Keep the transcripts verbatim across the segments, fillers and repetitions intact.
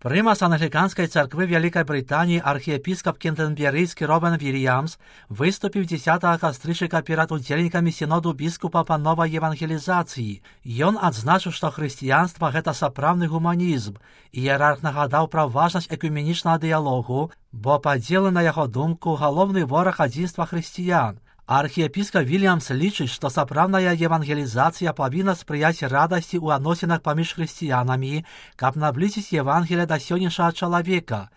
Примас Англіканської церкви Великой Британії архиепископ Кентерберийский Робен Вильямс выступил десятого кастрычника перед удзельнікамі синоду біскупа па новай евангелізацыі. Ён адзначыў, што хрысціянства — гэта сапраўдны гуманізм. Іерарх нагадаў пра важнасць экуменічнага дыялогу, бо падзелы, на яго думку, галоўны вораг адзінства хрысціян. Архіепіскап Вільямс лічыць, што сапраўдная евангелізацыя павінна спрыяць радасці ў адносінах паміж хрысціянамі, каб наблізіць Евангелие да сённяшняга чалавека.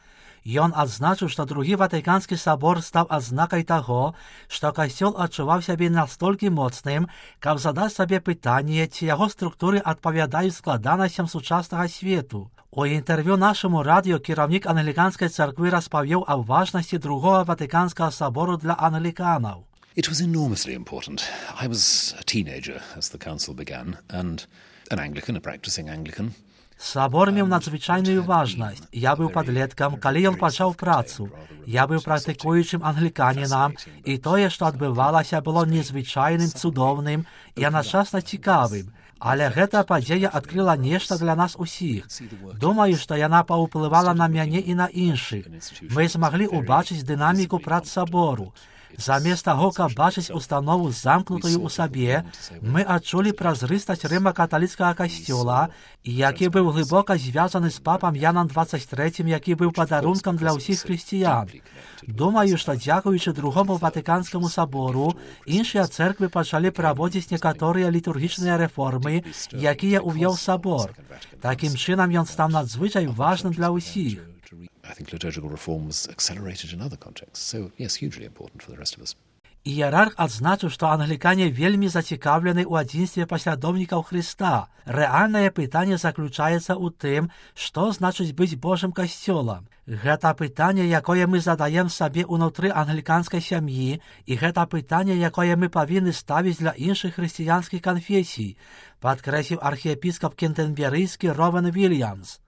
Ён адзначыў, што другі Ватыканскі сабор стаў адзнакай таго, што касцёл адчуваў сябе настолькі моцным, каб задаць сабе пытанне, ці яго структуры адпавядаюць складанасцям сучаснага свету. У інтэрв'ю нашаму радыё кіраўнік Англіканскай царквы распавёў аб важнасці другога Ватыканскага сабору для англіканаў. It was enormously important. I was a teenager as the council began, and an Anglican, a practicing Anglican. Сабор меў надзвычайную важнасць. Я быў падлеткам, калі ён пачаў працу. Я быў практыкуючым англіканінам, і тое, што адбывалася, было незвычайным, цудоўным і адначасна цікавым. Але гэта падзея адкрыла нешта для нас усіх. Думаю, што яна паўплывала на мяне і на іншых. Мы змаглі ўбачыць дынаміку прац сабору. Замест таго, каб бачыць установу замкнутую ў сабе, мы адчулі празрыстасць рыма-каталіцкага касцёла, які быў глыбока звязаны з папам Янам дваццаць трэцім, які быў падарункам для ўсіх хрысціян. Думаю, што дзякуючы другому Ватыканскаму сабору, іншыя цэрквы пачалі праводзіць некаторыя літургічныя рэформы, якія ўвёў сабор. Такім чынам ён стаў надзвычай важным для ўсіх. I think liturgical reform was accelerated in other contexts. So, yes, hugely important for the rest of us. Іерарх адзначыў, што англікане вельмі зацікаўлены ў адзінстве паслядоўнікаў Хрыста. Рэальнае пытанне заключаецца ў тым, што значыць быць Божым касцёлам. Гэта пытанне, якое мы задаем сабе ўнутры англіканскай сям'і, і гэта пытанне, якое мы павінны ставіць для іншых хрысціянскіх канфесій, падкрэсліў архіепіскап Кентерберийский Робен Вильямс.